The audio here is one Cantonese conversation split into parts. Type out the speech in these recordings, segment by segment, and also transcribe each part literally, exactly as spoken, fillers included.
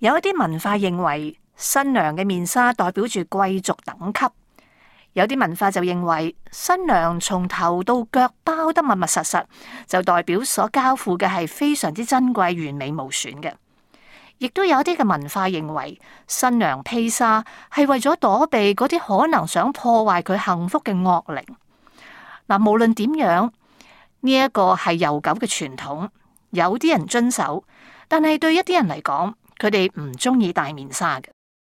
有一啲文化認為新娘嘅面紗代表住貴族等級，有啲文化就認為新娘從頭到腳包得密密實實，就代表所交付嘅係非常之珍貴、完美無損嘅。亦都有啲嘅文化認為新娘披紗係為咗躲避嗰啲可能想破壞佢幸福嘅惡靈。嗱，無論點樣，呢一個係悠久嘅傳統，有啲人遵守，但係對一啲人嚟講，佢哋唔中意戴面紗嘅。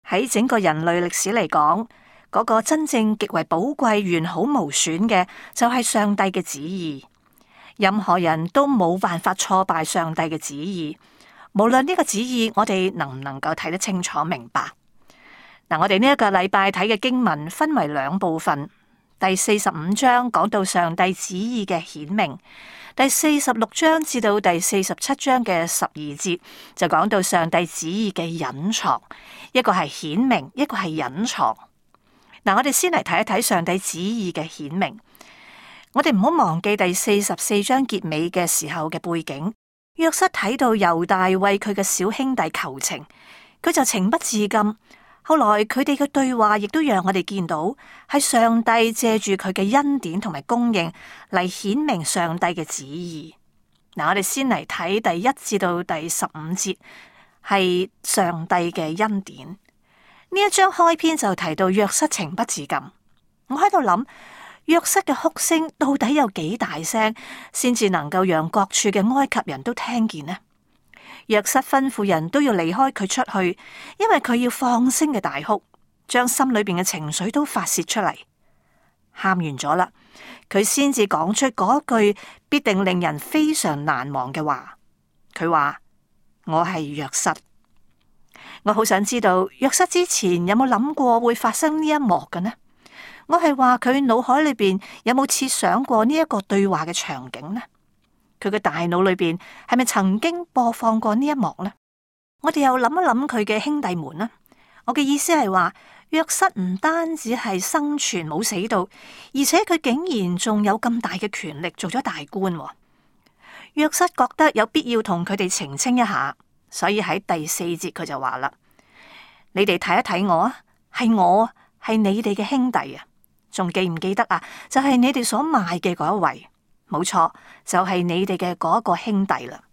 喺整個人類歷史嚟講，嗰個真正極為寶貴、完好無損嘅，就係上帝嘅旨意。任何人都冇辦法挫敗上帝嘅旨意。無論呢個旨意，我哋能唔能夠睇得清楚明白？嗱，我哋呢一個禮拜睇嘅經文分為兩部分。第四十五章講到上帝旨意嘅顯明，第四十六章至到第四十七章嘅十二節就講到上帝旨意嘅隱藏。一個係顯明，一個係隱藏。嗱，我哋先嚟睇一睇上帝旨意嘅顯明。我哋唔好忘記第四十四章結尾嘅時候嘅背景。約瑟睇到猶大為佢嘅小兄弟求情，佢就情不自禁。後來佢哋嘅對話亦都讓我哋見到係上帝借住佢嘅恩典同埋供應嚟顯明上帝嘅旨意。嗱，我哋先嚟睇第一至到第十五節，係上帝嘅恩典。呢一章開篇就提到約瑟情不自禁。我喺度諗。約瑟嘅哭聲到底有幾大聲，先至能夠讓各處嘅埃及人都聽見呢？約瑟吩咐人都要離開佢出去，因為佢要放聲嘅大哭，將心裏邊嘅情緒都發洩出嚟。喊完咗啦，佢先至講出嗰句必定令人非常難忘嘅話。佢話：我係約瑟。我好想知道約瑟之前有冇諗過會發生呢一幕嘅呢？我係話佢腦海裏邊有冇設想過呢一個對話嘅場景呢？佢嘅大腦裏邊係咪曾經播放過呢一幕呢？我哋又諗一諗佢嘅兄弟們呢？我嘅意思係話，約瑟唔單止係生存冇死到，而且佢竟然仲有咁大嘅權力，做咗大官。約瑟覺得有必要同佢哋澄清一下，所以喺第四節佢就話啦：你哋睇一睇我啊，係我，係你哋嘅兄弟啊！仲記唔記得啊？就係你哋所賣嘅嗰一位，冇錯，就係你哋嘅嗰一個兄弟啦。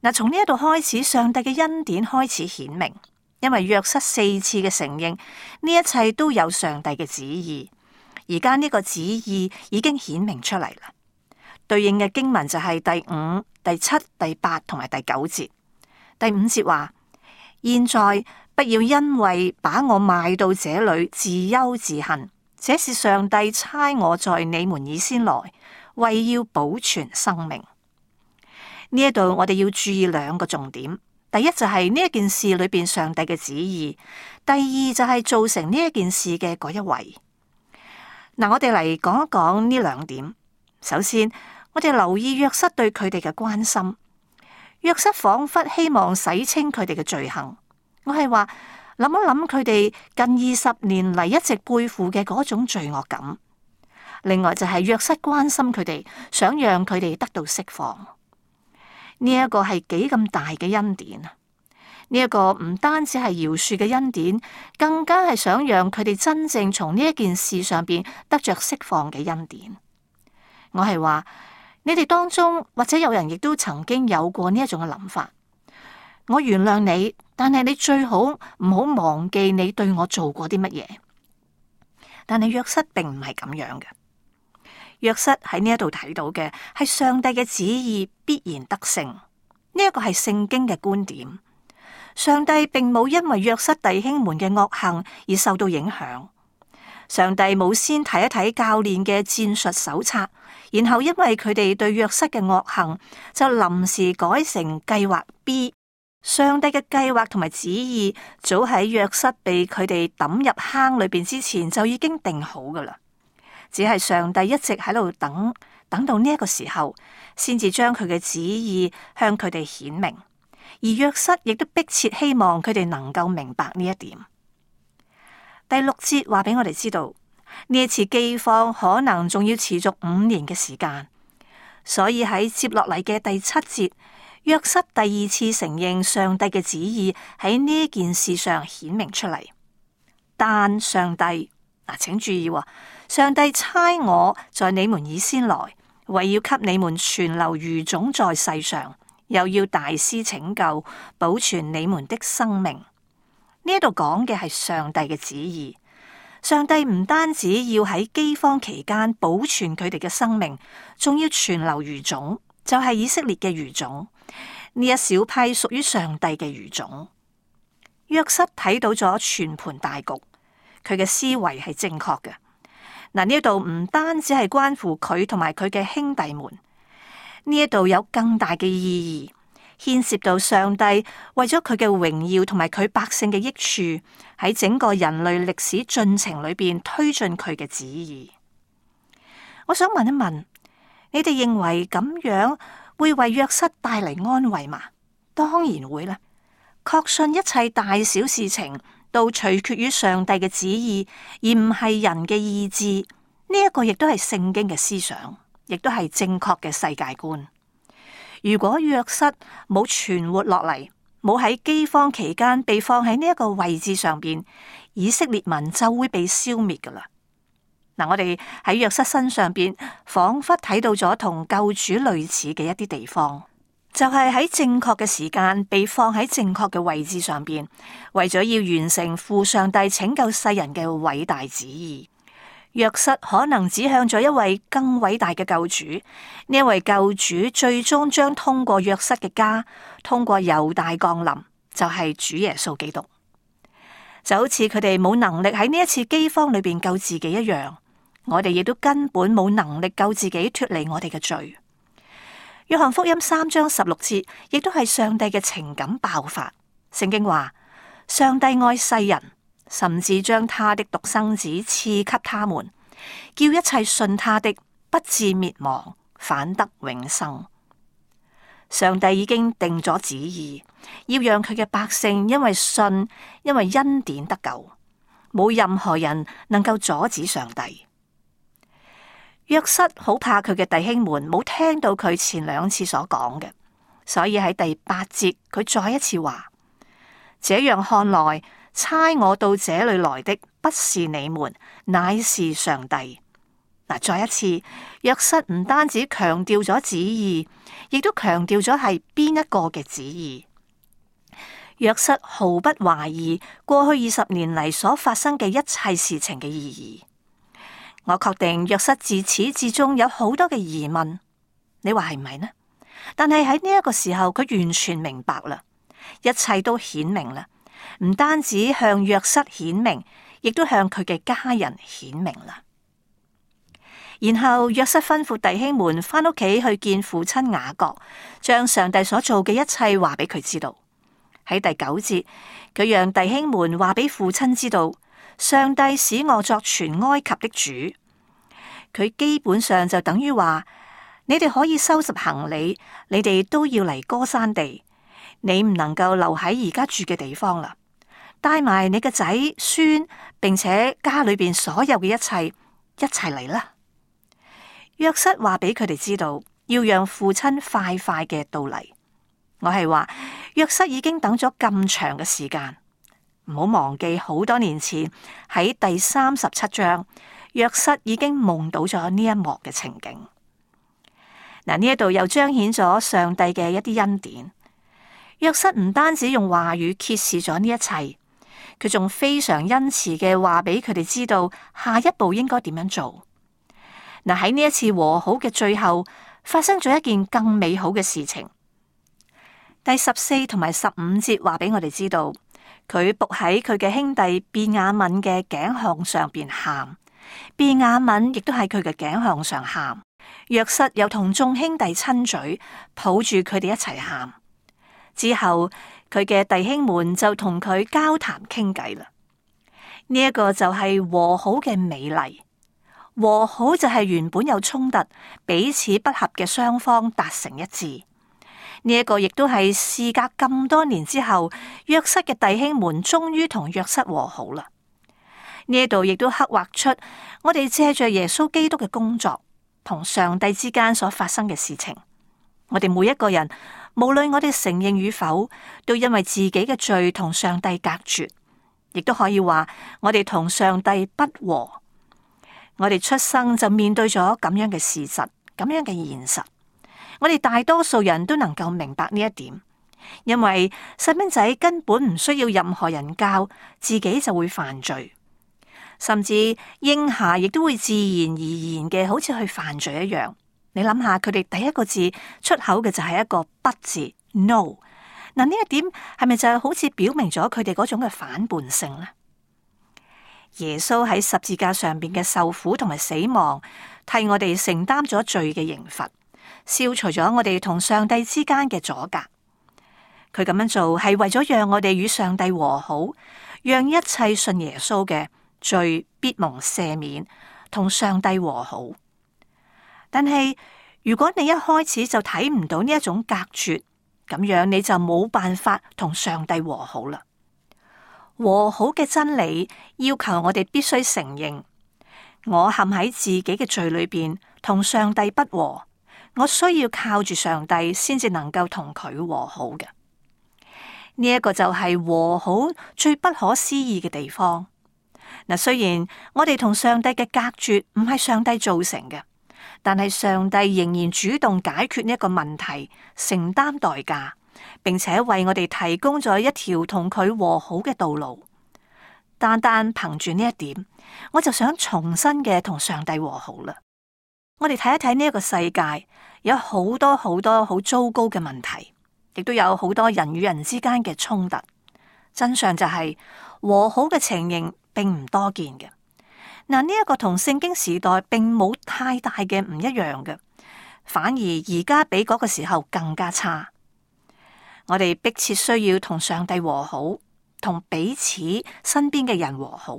嗱，從呢一度開始，上帝嘅恩典開始顯明，因為約瑟四次嘅承認呢一切都有上帝嘅旨意，而家呢個旨意已經顯明出嚟啦。對應嘅經文就係第五、第七、第八同埋第九節。第五節話：現在不要因為把我賣到這裏自憂自恨。這是上帝差我在你們以先來，為要保存生命。呢一度我哋要注意兩個重點。第一就係呢一件事裏邊上帝嘅旨意，第二就係造成呢一件事嘅嗰一位。嗱，我哋嚟講一講呢兩點。首先，我哋留意約瑟對佢哋嘅關心。約瑟仿佛希望洗清佢哋嘅罪行。我係話，諗一諗佢哋近二十年嚟一直背負嘅嗰種罪惡感。另外就係約瑟關心佢哋，想讓佢哋得到釋放。呢一個係幾咁大嘅恩典啊！呢一個唔單止係饒恕嘅恩典，更加係想讓佢哋真正從呢一件事上邊得着釋放嘅恩典。我係話，你哋當中或者有人亦都曾經有過呢一種嘅諗法。我原諒你，但係你最好唔好忘記你對我做過啲乜嘢。但係約瑟並唔係咁樣嘅。約瑟喺呢一度睇到嘅係上帝嘅旨意必然得勝。呢一個係聖經嘅觀點。上帝並冇因為約瑟弟兄們嘅惡行而受到影響。上帝冇先睇一睇教練嘅戰術手冊，然後因為佢哋對約瑟嘅惡行，就臨時改成計劃 B。上帝嘅計劃同埋旨意，早喺約瑟被佢哋抌入坑裏邊之前就已經定好噶啦。只係上帝一直喺度等，等到呢一個時候，先至將佢嘅旨意向佢哋顯明。而約瑟亦都迫切希望佢哋能夠明白呢一點。第六節話俾我哋知道，呢一次饑荒可能仲要持續五年嘅時間，所以喺接落嚟嘅第七節，約瑟第二次承認上帝嘅旨意喺呢件事上顯明出嚟。但上帝，嗱，請注意，上帝差我在你們以先來，為要給你們存留餘種在世上，又要大施拯救，保存你們的生命。呢度講嘅係上帝嘅旨意。上帝唔單止要喺饑荒期間保存佢哋嘅生命，仲要存留餘種，就係以色列嘅餘種。呢一小批屬於上帝嘅餘種。約瑟睇到咗全盤大局，佢嘅思維係正確嘅。嗱，呢一度唔單止係關乎佢同埋佢嘅兄弟們，呢一度有更大嘅意義。牽涉到上帝為咗佢嘅榮耀同埋佢百姓嘅益處，喺整個人類歷史進程裏邊推進佢嘅旨意。我想問一問，你哋認為咁樣會為約瑟帶嚟安慰嗎？當然會啦。確信一切大小事情都取決於上帝嘅旨意，而唔係人嘅意志。呢一個亦都係聖經嘅思想，亦都係正確嘅世界觀。如果約瑟冇存活落嚟，冇喺饑荒期間被放喺呢一個位置上邊，以色列民就會被消滅噶啦。嗱，我哋喺約瑟身上邊，仿佛睇到咗同救主類似嘅一啲地方，就係喺正確嘅時間被放喺正確嘅位置上邊，為咗要完成父上帝拯救世人嘅偉大旨意。約瑟可能指向咗一位更偉大嘅救主，呢一位救主最終將通過約瑟嘅家，通過猶大降臨，就係主耶穌基督。就好似佢哋冇能力喺呢一次饑荒裏邊救自己一樣，我哋亦都根本冇能力救自己脫離我哋嘅罪。約翰福音三章十六節，亦都係上帝嘅情感爆發。聖經話：上帝愛世人，甚至將他的獨生子賜給他們，叫一切信他的不至滅亡，反得永生。上帝已經定咗旨意，要讓佢嘅百姓因為信，因為恩典得救，冇任何人能夠阻止上帝。約瑟好怕佢嘅弟兄們冇聽到佢前兩次所講嘅，所以喺第八節佢再一次話：這樣看來，差我到這裏來的不是你們，乃是上帝。嗱，再一次，約瑟唔單止強調咗旨意，亦都強調咗係邊一個嘅旨意。約瑟毫不懷疑過去二十年嚟所發生嘅一切事情嘅意義。我確定約瑟自始至終有好多嘅疑問，你話係唔係呢？但係喺呢一個時候，佢完全明白啦，一切都顯明啦。唔單止向約瑟顯明，亦都向佢嘅家人顯明啦。然後約瑟吩咐弟兄們返屋企去見父親雅各，將上帝所做嘅一切話俾佢知道。喺第九節，佢讓弟兄們話俾父親知道，上帝使我作全埃及的主。佢基本上就等於話，你哋可以收拾行李，你哋都要嚟歌珊地。你唔能夠留喺而家住嘅地方啦，帶埋你嘅仔孫，並且家裏邊所有嘅一切一齊嚟啦。約瑟話俾佢哋知道，要讓父親快快嘅到嚟。我係話約瑟已經等咗咁長嘅時間，唔好忘記好多年前喺第三十七章，約瑟已經夢到咗呢一幕嘅情景。嗱，呢一度又彰顯咗上帝嘅一啲恩典。約瑟唔單止用話語揭示咗呢一切，佢仲非常恩慈嘅話俾佢哋知道下一步應該點樣做。嗱，喺呢一次和好嘅最後，發生咗一件更美好嘅事情。第十四同埋十五節話俾我哋知道，佢伏喺佢嘅兄弟便雅憫嘅頸項上邊喊，便雅憫亦都喺佢嘅頸項上喊。約瑟又同眾兄弟親嘴，抱住佢哋一齊喊。之後佢嘅弟兄們就同佢交談傾偈啦。呢、這、一個就係和好嘅美麗。和好就係原本有衝突、彼此不合嘅雙方達成一致。呢、這、一個亦都係事隔咁多年之後，約瑟嘅弟兄們終於同約瑟和好啦。呢一度亦都刻畫出我哋借着耶穌基督嘅工作同上帝之間所發生嘅事情。我哋每一個人無論我哋承認與否，都因為自己嘅罪同上帝隔絕，亦都可以話我哋同上帝不和。我哋出生就面對咗咁樣嘅事實，咁樣嘅現實。我哋大多數人都能夠明白呢一點，因為細蚊仔根本唔需要任何人教，自己就會犯罪，甚至嬰孩亦都會自然而然嘅，好似去犯罪一樣。你諗下，佢哋第一個字出口嘅就係一個不字 no。嗱，呢一點係咪就係好似表明咗佢哋嗰種嘅反叛性呢？耶穌喺十字架上邊嘅受苦同埋死亡，替我哋承擔咗罪嘅刑罰，消除咗我哋同上帝之間嘅阻隔。佢咁樣做係為咗讓我哋與上帝和好，讓一切信耶穌嘅罪必蒙赦免，同上帝和好。但係如果你一開始就睇唔到呢一種隔絕，咁樣你就冇辦法同上帝和好啦。和好嘅真理要求我哋必須承認，我陷喺自己嘅罪裏邊，同上帝不和，我需要靠住上帝先至能夠同佢和好嘅。呢一個就係和好最不可思議嘅地方。嗱，雖然我哋同上帝嘅隔絕唔係上帝造成嘅，但係上帝仍然主動解決呢一個問題，承擔代價，並且為我哋提供咗一條同佢和好嘅道路。單單憑住呢一點，我就想重新嘅同上帝和好啦。我哋睇一睇呢一個世界，有好多好多好糟糕嘅問題，亦都有好多人與人之間嘅衝突。真相就係和好嘅情形並唔多見嘅。嗱，呢一個同聖經時代並冇太大嘅唔一樣嘅，反而而家比嗰個時候更加差。我哋迫切需要同上帝和好，同彼此身邊嘅人和好，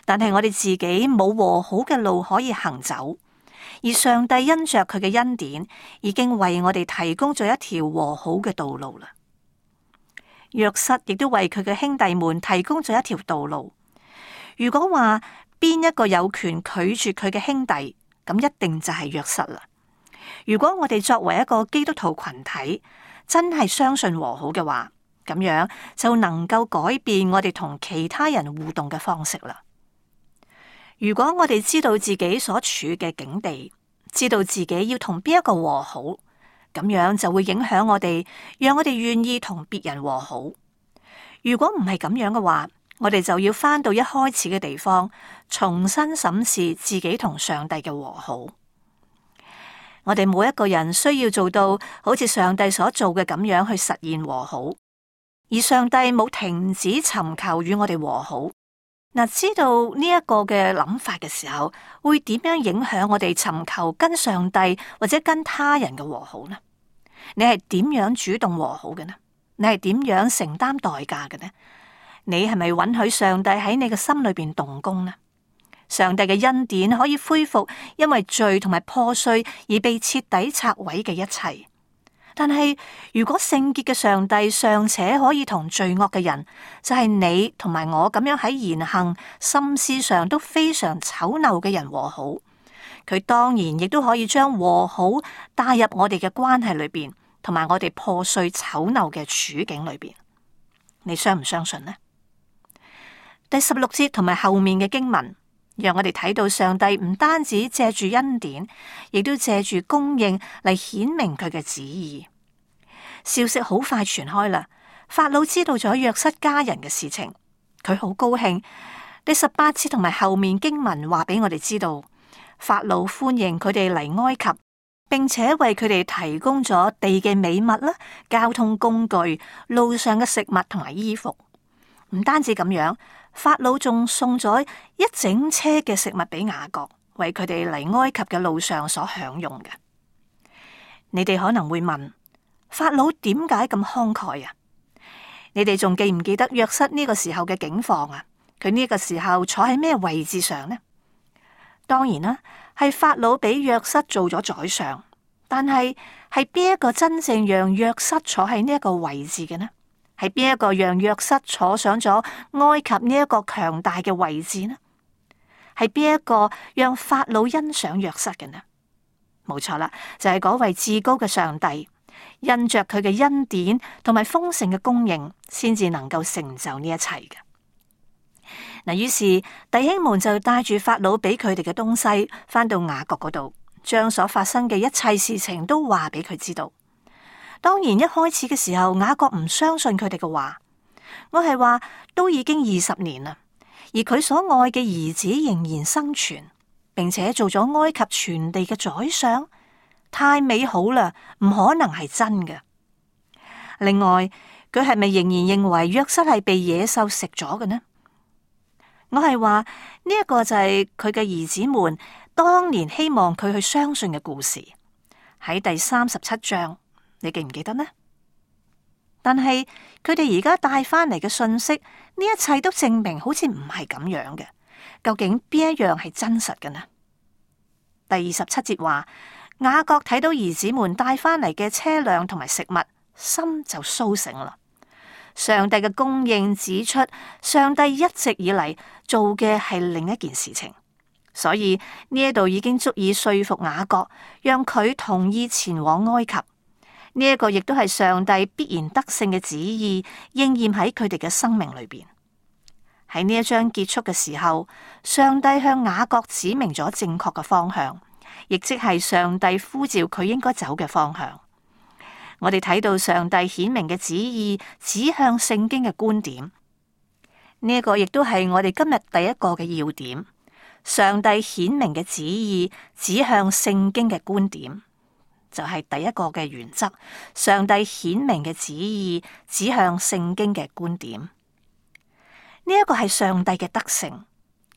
但係我哋自己冇和好嘅路可以行走，而上帝因着佢嘅恩典，已經為我哋提供咗一條和好嘅道路啦。約瑟亦都為佢嘅兄弟們提供咗一條道路。如果話邊一個有權拒絕佢嘅兄弟，咁一定就係約瑟啦。如果我哋作為一個基督徒群體，真係相信和好嘅話，咁樣就能夠改變我哋同其他人互動嘅方式啦。如果我哋知道自己所處嘅境地，知道自己要同邊一個和好，咁樣就會影響我哋，讓我哋願意同別人和好。如果唔係咁樣嘅話，我哋就要返到一開始嘅地方，重新審視自己同上帝嘅和好。我哋每一個人需要做到好似上帝所做嘅咁樣去實現和好，而上帝冇停止尋求與我哋和好。嗱，知道呢一個嘅諗法嘅時候，會點樣影響我哋尋求跟上帝或者跟他人嘅和好呢？你係點樣主動和好嘅呢？你係點樣承擔代價嘅呢？你係咪允許上帝喺你嘅心裏邊動工呢？上帝嘅恩典可以恢復因為罪同埋破碎而被徹底拆毀嘅一切。但係如果聖潔嘅上帝尚且可以同罪惡嘅人，就係你同埋我咁樣喺言行、心思上都非常醜陋嘅人和好，佢當然亦都可以將和好帶入我哋嘅關係裏邊，同埋我哋破碎醜陋嘅處境裏邊。你相唔相信呢？第十六節同埋後面嘅經文，讓我哋睇到上帝唔單止借住恩典，亦都借住供應嚟顯明佢嘅旨意。消息好快傳開啦，法老知道咗約瑟家人嘅事情，佢好高興。第十八節同埋後面經文話俾我哋知道，法老歡迎佢哋嚟埃及，並且為佢哋提供咗地嘅美物啦、交通工具、路上嘅食物同埋衣服。唔單止咁樣，法老仲送咗一整車嘅食物俾雅各，為佢哋嚟埃及嘅路上所享用嘅。你哋可能會問，法老點解咁慷慨啊？你哋仲記唔記得約瑟呢個時候嘅境況啊？佢呢個時候坐喺咩位置上呢？當然啦，係法老俾約瑟做咗宰相，但係係邊一個真正讓約瑟坐喺呢一個位置嘅呢？係邊一個讓約瑟坐上咗埃及呢一個強大嘅位置呢？係邊一個讓法老欣賞約瑟嘅呢？冇錯啦，就係嗰位至高嘅上帝，因着佢嘅恩典同埋豐盛嘅供應，先至能夠成就呢一切嘅。嗱，於是弟兄們就帶住法老俾佢哋嘅東西，返到雅各嗰度，將所發生嘅一切事情都話俾佢知道。當然一開始嘅時候，雅各唔相信佢哋嘅話。我係話都已經二十年啦，而佢所愛嘅兒子仍然生存，並且做咗埃及全地嘅宰相，太美好啦，唔可能係真嘅。另外，佢係咪仍然認為約瑟係被野獸食咗嘅呢？我係話呢一個就係佢嘅兒子們當年希望佢去相信嘅故事，喺第三十七章，你記唔記得呢？但係佢哋而家帶翻嚟嘅信息，呢一切都證明好似唔係咁樣嘅。究竟邊一樣係真實嘅呢？第二十七節話，雅各睇到兒子們帶翻嚟嘅車輛同埋食物，心就蘇醒啦。上帝嘅供應指出，上帝一直以嚟做嘅係另一件事情，所以呢一度已經足以說服雅各，讓佢同意前往埃及。呢一個亦都係上帝必然得勝嘅旨意，應驗喺佢哋嘅生命裏邊。喺呢一章結束嘅時候，上帝向雅各指明咗正確嘅方向，亦即係上帝呼召佢應該走嘅方向。我哋睇到上帝顯明嘅旨意指向聖經嘅觀點，呢一個亦都係我哋今日第一個嘅要點。上帝顯明嘅旨意指向聖經嘅觀點。就係第一個嘅原則，上帝顯明嘅旨意指向聖經嘅觀點。呢、這、一個係上帝嘅德性，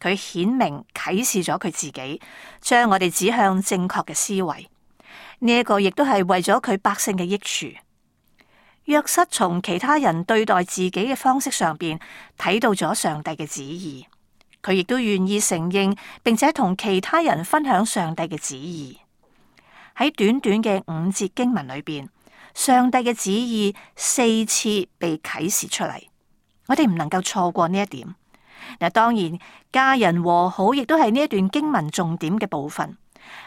佢顯明啟示咗佢自己，將我哋指向正確嘅思維。呢、這、一個亦都係為咗佢百姓嘅益處。約瑟從其他人對待自己嘅方式上邊睇到咗上帝嘅旨意，佢亦都願意承認，並且同其他人分享上帝嘅旨意。喺短短嘅五節經文裏邊，上帝嘅旨意四次被啟示出嚟，我哋唔能夠錯過呢一點。嗱，當然家人和好亦都係呢一段經文重點嘅部分，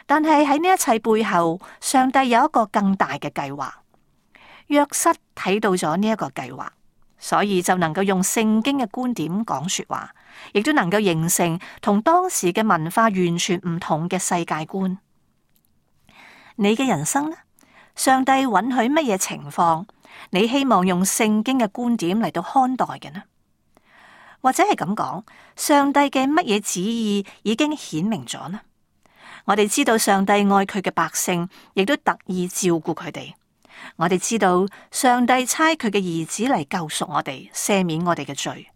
但係喺呢一切背後，上帝有一個更大嘅計劃。約瑟睇到咗呢一個計劃，所以就能夠用聖經嘅觀點講說話，亦都能夠形成同當時嘅文化完全唔同嘅世界觀。你嘅人生呢？上帝允許乜嘢情況？你希望用聖經嘅觀點嚟到看待嘅呢？或者係咁講，上帝嘅乜嘢旨意已經顯明咗呢？我哋知道上帝愛佢嘅百姓，亦都特意照顧佢哋。我哋知道上帝差佢嘅兒子嚟救贖我哋，赦免我哋嘅罪。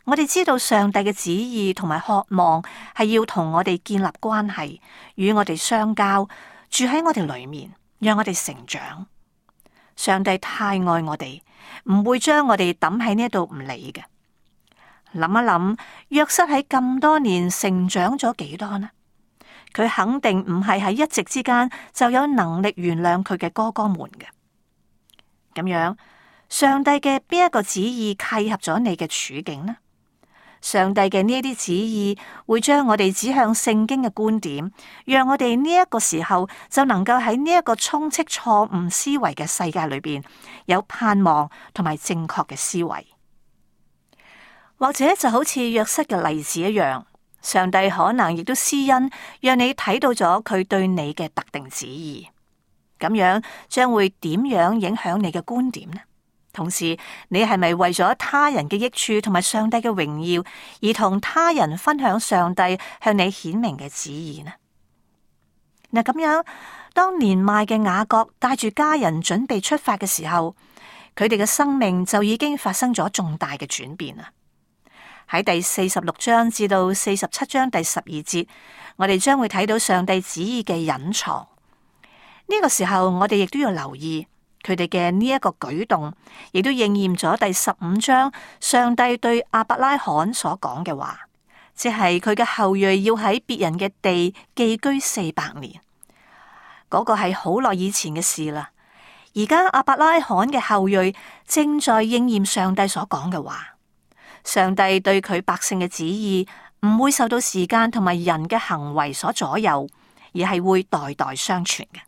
我哋知道上帝嘅旨意同埋渴望係要同我哋建立關係，與我哋相交。住喺我哋裏面，讓我哋成長。上帝太愛我哋，唔會將我哋抌喺呢度唔理嘅。諗一諗，約瑟喺咁多年成長咗幾多呢？佢肯定唔係喺一夕之間就有能力原諒佢嘅哥哥們嘅。咁樣，上帝嘅邊一個旨意契合咗你嘅處境呢？上帝嘅呢一啲旨意會將我哋指向聖經嘅觀點，讓我哋呢一個時候就能夠喺呢一個充斥錯誤思維嘅世界裏邊有盼望同埋正確嘅思維。或者就好似約瑟嘅例子一樣，上帝可能亦都施恩，讓你睇到咗佢對你嘅特定旨意。咁樣將會點樣影響你嘅觀點呢？同時，你係咪為咗他人嘅益處同埋上帝嘅榮耀，而同他人分享上帝向你顯明嘅旨意呢？嗱，咁樣，當年邁嘅雅各帶住家人準備出發嘅時候，佢哋嘅生命就已經發生咗重大嘅轉變啦。喺第四十六章至到四十七章第十二節，我哋將會睇到上帝旨意嘅隱藏。呢個時候，我哋亦都要留意。佢哋嘅呢一個舉動，亦都應驗咗第十五章上帝對亞伯拉罕所講嘅話，即係佢嘅後裔要喺別人嘅地寄居四百年。嗰個係好耐以前嘅事啦。而家亞伯拉罕嘅後裔正在應驗上帝所講嘅話。上帝對佢百姓嘅旨意唔會受到時間同埋人嘅行為所左右，而係會代代相傳嘅。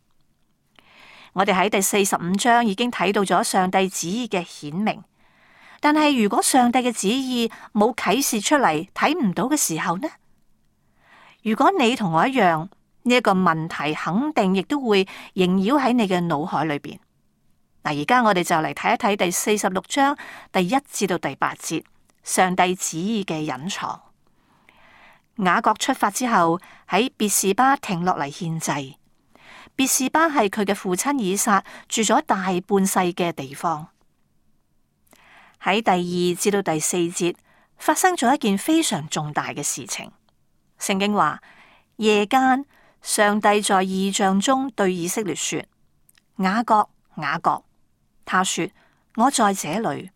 我哋喺第四十五章已經睇到咗上帝旨意嘅顯明，但係如果上帝嘅旨意冇啟示出嚟，睇唔到嘅時候呢？如果你同我一樣，呢一個問題肯定亦都會縈繞喺你嘅腦海裏邊。嗱，而家我哋就嚟睇一睇第四十六章第一至到第八節，上帝旨意嘅隱藏。雅各出發之後，喺別是巴停落嚟獻祭。別是巴係佢嘅父親以撒住咗大半世嘅地方。喺第二至到第四節發生咗一件非常重大嘅事情。聖經話，夜間上帝在異象中對以色列說：雅各，雅各。他說：我在這裏。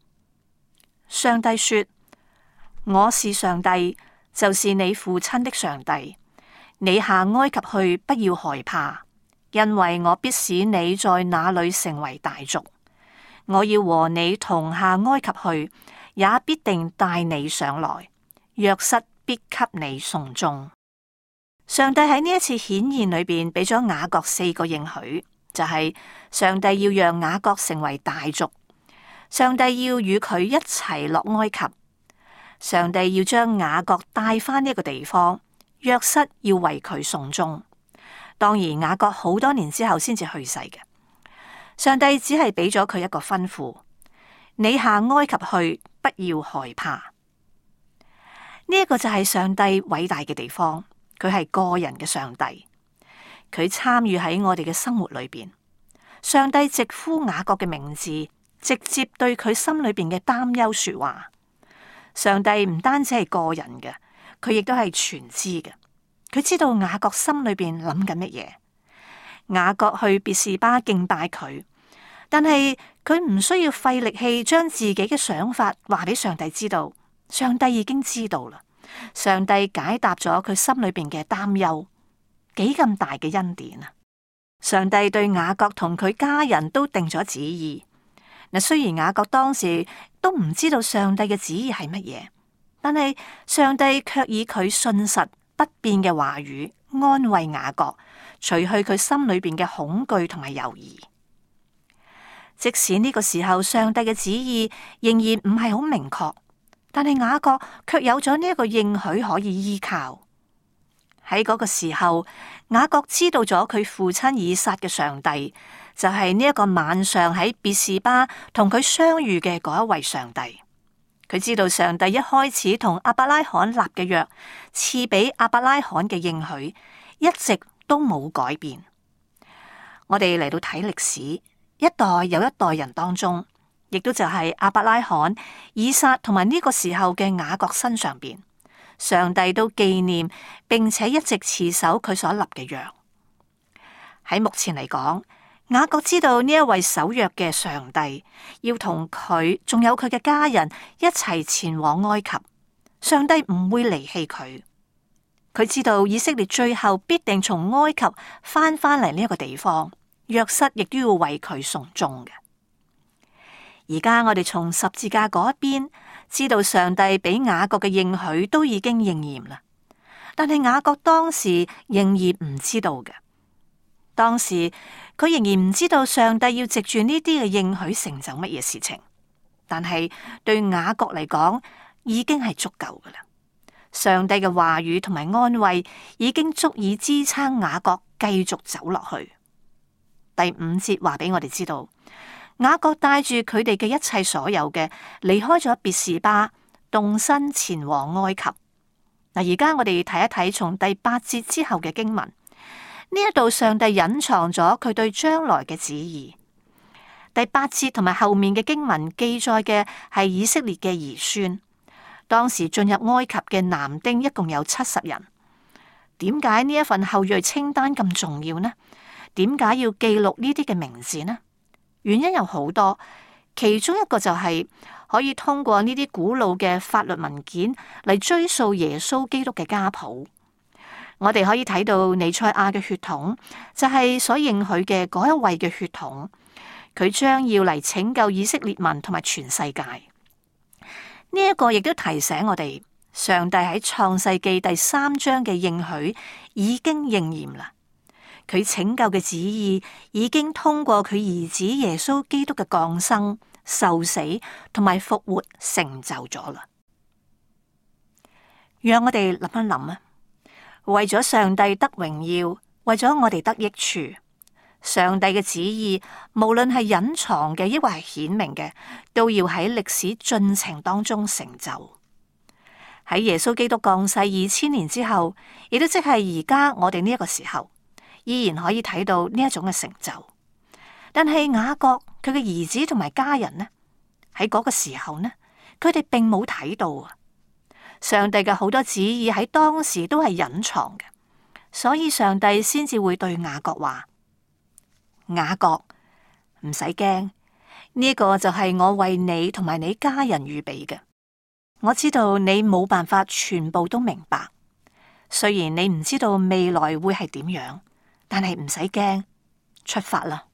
上帝說：我是上帝，就是你父親的上帝。你下埃及去，不要害怕，因為我必使你在那裏成為大族。我要和你同下埃及去，也必定帶你上來。約瑟必給你送終。上帝喺呢一次顯現裏邊俾咗雅各四個應許。就係上帝要讓雅各成為大族，上帝要與佢一齊落埃及，上帝要將雅各帶返呢一個地方，約瑟要為佢送終。當然雅各好多年之後先至去世嘅。上帝只係俾咗佢一個吩咐：你下埃及去，不要害怕。呢一個就係上帝偉大嘅地方，佢係個人嘅上帝。佢參與喺我哋嘅生活裏邊，上帝直呼雅各嘅名字，直接對佢心裏邊嘅擔憂說話。上帝唔單止係個人嘅，佢亦都係全知嘅。佢知道雅各心裏邊諗緊乜嘢。雅各去別是巴敬拜佢，但係佢唔需要費力氣將自己嘅想法話俾上帝知道，上帝已經知道啦。上帝解答咗佢心裏邊嘅擔憂。幾咁大嘅恩典啊！上帝對雅各同佢家人都定咗旨意。嗱，雖然雅各當時都唔知道上帝嘅旨意係乜嘢，但係上帝卻以佢信實不變嘅話語安慰雅各，除去佢心裏邊嘅恐懼同埋猶豫。即使呢個時候上帝嘅旨意仍然唔係好明確，但係雅各卻有咗呢一個應許可以依靠。喺嗰個時候，雅各知道咗佢父親以撒嘅上帝，就係呢一個晚上喺別是巴同佢相遇嘅嗰一位上帝。佢知道上帝一開始同亞伯拉罕立嘅約，賜俾亞伯拉罕嘅應許，一直都冇改變。我哋嚟到睇歷史，一代又一代人當中，亦都就係亞伯拉罕、以撒同埋呢個時候嘅雅各身上邊。上帝都紀念並且一直持守佢所立嘅約。喺目前嚟講，雅各知道呢一位守約嘅上帝要同佢仲有佢嘅家人一齊前往埃及，上帝唔會離棄佢。佢知道以色列最後必定從埃及翻返嚟呢一個地方，約瑟亦都要為佢送終嘅。而家我哋從十字架嗰一邊知道上帝俾雅各嘅應許都已經應驗啦，但係雅各當時仍然唔知道嘅。當時佢仍然唔知道上帝要藉住呢啲嘅應許成就乜嘢事情，但係對雅各嚟講已經係足夠噶啦。上帝嘅話語同埋安慰已經足以支撐雅各繼續走落去。第五節話俾我哋知道，雅各帶住佢哋嘅一切所有嘅，離開咗別是巴，動身前往埃及。嗱，而家我哋睇一睇從第八節之後嘅經文，呢一度上帝隱藏咗佢對將來嘅旨意。第八節同埋後面嘅經文記載嘅係以色列嘅兒孫，當時進入埃及嘅男丁一共有七十人。點解呢一份後裔清單咁重要呢？點解要記錄呢啲嘅名字呢？原因有好多，其中一個就係可以通過呢啲古老嘅法律文件嚟追溯耶穌基督嘅家譜。我哋可以睇到彌賽亞嘅血統，就係所應許嘅嗰一位嘅血統，佢將要嚟拯救以色列民同埋全世界。呢一個亦都提醒我哋，上帝喺創世記第三章嘅應許已經應驗啦。佢拯救嘅旨意已經通過佢兒子耶穌基督嘅降生、受死同埋復活成就咗啦。讓我哋諗一諗啊，為咗上帝得榮耀，為咗我哋得益處，上帝嘅旨意無論係隱藏嘅抑或係顯明嘅，都要喺歷史進程當中成就。喺耶穌基督降世二千年之後，亦都即係而家我哋呢一個時候，依然可以睇到呢一種嘅成就。但係雅各佢嘅兒子同埋家人呢，喺嗰個時候呢，佢哋並冇睇到啊。上帝嘅好多旨意喺當時都係隱藏嘅，所以上帝先至會對雅各話：雅各，唔使驚，呢個就係我為你同埋你家人預備嘅。我知道你冇辦法全部都明白，雖然你唔知道未來會係點樣，但係唔使驚，出發啦。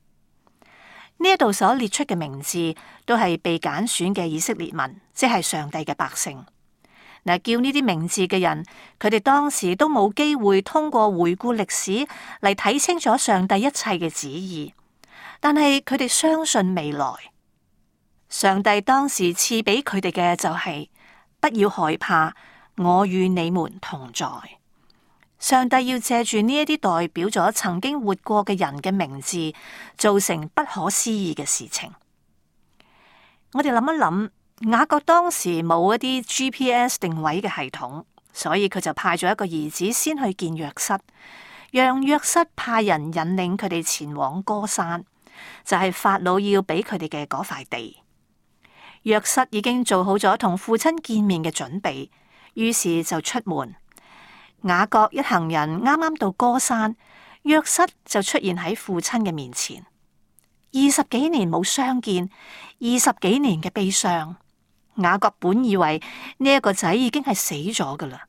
呢一度所列出嘅名字都係被揀選嘅以色列民，即係上帝嘅百姓。嗱，叫呢啲名字嘅人，佢哋當時都冇機會通過回顧歷史嚟睇清楚上帝一切嘅旨意，但係佢哋相信未來。上帝當時賜俾佢哋嘅就係、是、不要害怕，我與你們同在。上帝要借住呢一啲代表咗曾經活過嘅人嘅名字，做成不可思議嘅事情。我哋諗一諗。雅各當時冇一啲 G P S 定位嘅系統，所以佢就派咗一個兒子先去見約瑟，讓約瑟派人引領佢哋前往歌珊，就係法老要俾佢哋嘅嗰塊地。約瑟已經做好咗同父親見面嘅準備，於是就出門。雅各一行人啱啱到歌珊，約瑟就出現喺父親嘅面前。二十幾年冇相見，二十幾年嘅悲傷。雅各本以為呢一個仔已經係死咗噶啦。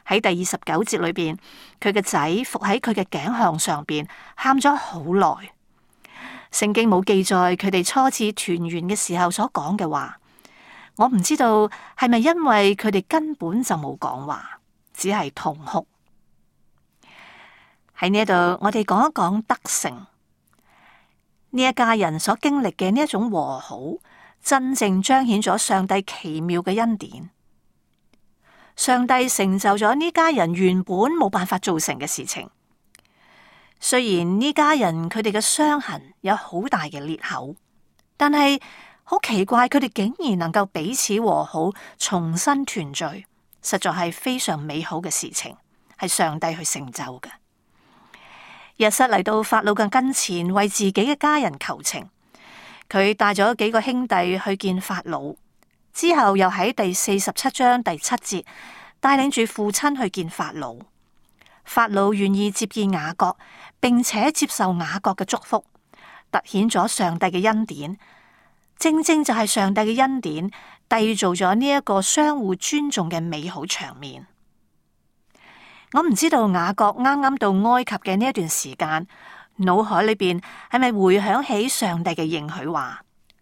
喺第二十九節裏邊，佢嘅仔伏喺佢嘅頸項上邊，喊咗好耐。聖經冇記載佢哋初次團圓嘅時候所講嘅話，我唔知道係咪因為佢哋根本就冇講話，只係痛哭。喺呢度，我哋講一講得勝呢一家人所經歷嘅呢一種和好。真正彰顯咗上帝奇妙嘅恩典，上帝成就咗呢家人原本冇辦法做成嘅事情。雖然呢家人佢哋嘅傷痕有好大嘅裂口，但係好奇怪，佢哋竟然能夠彼此和好，重新團聚，實在係非常美好嘅事情，係上帝去成就嘅。約瑟嚟到法老嘅跟前，為自己嘅家人求情。佢帶咗幾個兄弟去見法老，之後又喺第四十七章第七節帶領住父親去見法老。法老願意接見雅各，並且接受雅各嘅祝福，凸顯咗上帝嘅恩典。正正就係上帝嘅恩典，締造咗呢一個相互尊重嘅美好場面。我唔知道雅各啱啱到埃及嘅呢一段時間，腦海裏邊係咪回響起上帝嘅應許話，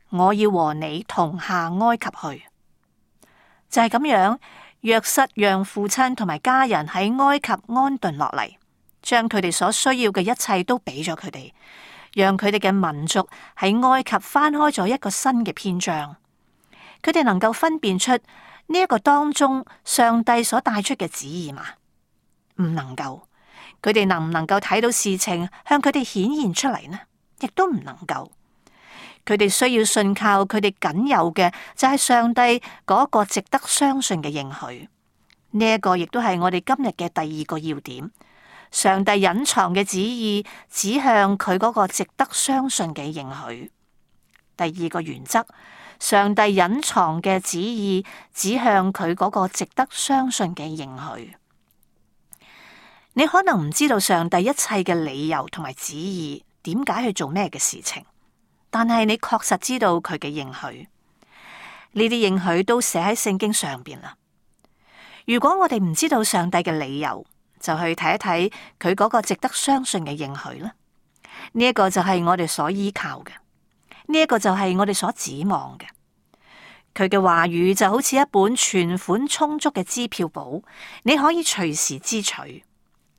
我要和你同下埃及去？就係咁樣，約瑟讓父親同埋家人喺埃及安頓落嚟，將佢哋所需要嘅一切都俾咗佢哋，讓佢哋嘅民族喺埃及翻開咗一個新嘅篇章。佢哋能夠分辨出呢一個當中上帝所帶出嘅旨意嘛？唔能夠。佢哋能唔能夠睇到事情向佢哋顯現出嚟呢？亦都唔能夠。佢哋需要信靠佢哋僅有嘅，就係上帝嗰個值得相信嘅應許。呢一個亦都係我哋今日嘅第二個要點。上帝隱藏嘅旨意指向佢嗰個值得相信嘅應許。第二個原則，上帝隱藏嘅旨意指向佢嗰個值得相信嘅應許。你可能唔知道上帝一切嘅理由同埋旨意，點解去做咩嘅事情，但係你確實知道佢嘅應許。呢啲應許都寫喺聖經上邊啦。如果我哋唔知道上帝嘅理由，就去睇一睇佢嗰個值得相信嘅應許啦。呢一個就係我哋所依靠嘅，呢一個就係我哋所指望嘅。佢嘅話語就好似一本存款充足嘅支票簿，你可以隨時支取。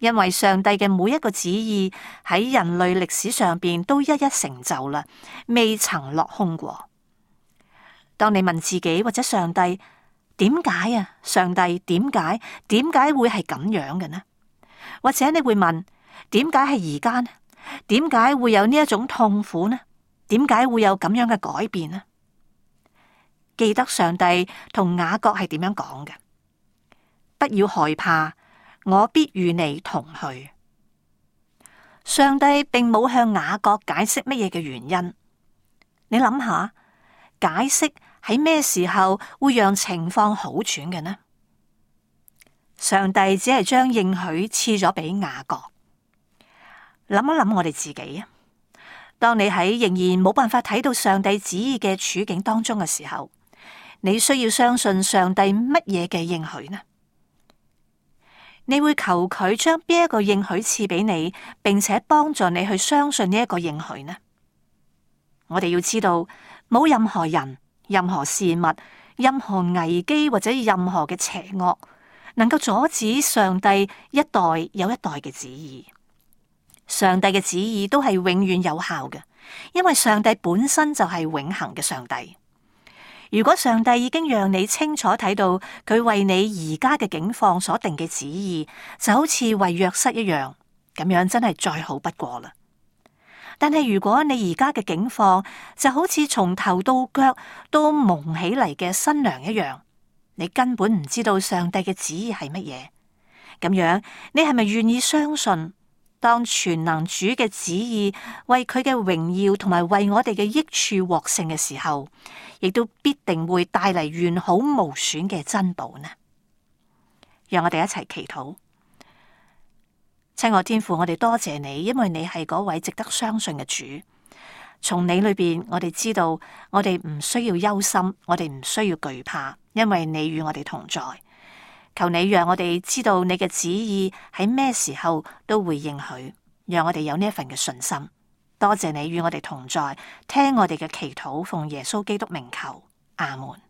因為上帝嘅每一個旨意喺人類歷史上邊都一一成就啦，未曾落空過。當你問自己或者上帝點解啊？上帝點解？點解會係咁樣嘅呢？或者你會問點解係而家呢？點解會有呢一種痛苦呢？點解會有咁樣嘅改變呢？記得上帝同雅各係點樣講嘅？不要害怕，我必與你同去。上帝並冇向雅各解釋乜嘢嘅原因。你諗下，解釋喺咩時候會讓情況好轉嘅呢？上帝只係將應許賜咗俾雅各。諗一諗我哋自己啊，當你喺仍然冇辦法睇到上帝旨意嘅處境當中嘅時候，你需要相信上帝乜嘢嘅應許呢？你會求佢將邊一個應許賜俾你，並且幫助你去相信呢一個應許呢？我哋要知道，冇任何人、任何事物、任何危機或者任何嘅邪惡，能夠阻止上帝一代又一代嘅旨意。上帝嘅旨意都係永遠有效嘅，因為上帝本身就係永恆嘅上帝。如果上帝已經讓你清楚睇到佢為你而家嘅境況所定嘅旨意，就好似為約瑟一樣，咁樣真係再好不過啦。但係如果你而家嘅境況就好似從頭到腳都蒙起嚟嘅新娘一樣，你根本唔知道上帝嘅旨意係乜嘢，咁樣你係咪願意相信，當全能主嘅旨意為佢嘅榮耀同埋為我哋嘅益處獲勝嘅時候，亦都必定會帶嚟完好無損嘅珍寶呢？讓我哋一齊祈禱。親愛天父，我哋多謝你，因為你係嗰位值得相信嘅主。從你裏邊，我哋知道我哋唔需要憂心，我哋唔需要懼怕，因為你與我哋同在。求你讓我哋知道你嘅旨意喺咩時候都會應許，讓我哋有呢一份嘅信心。多謝你與我哋同在，聽我哋嘅祈禱，奉耶穌基督名求，阿門。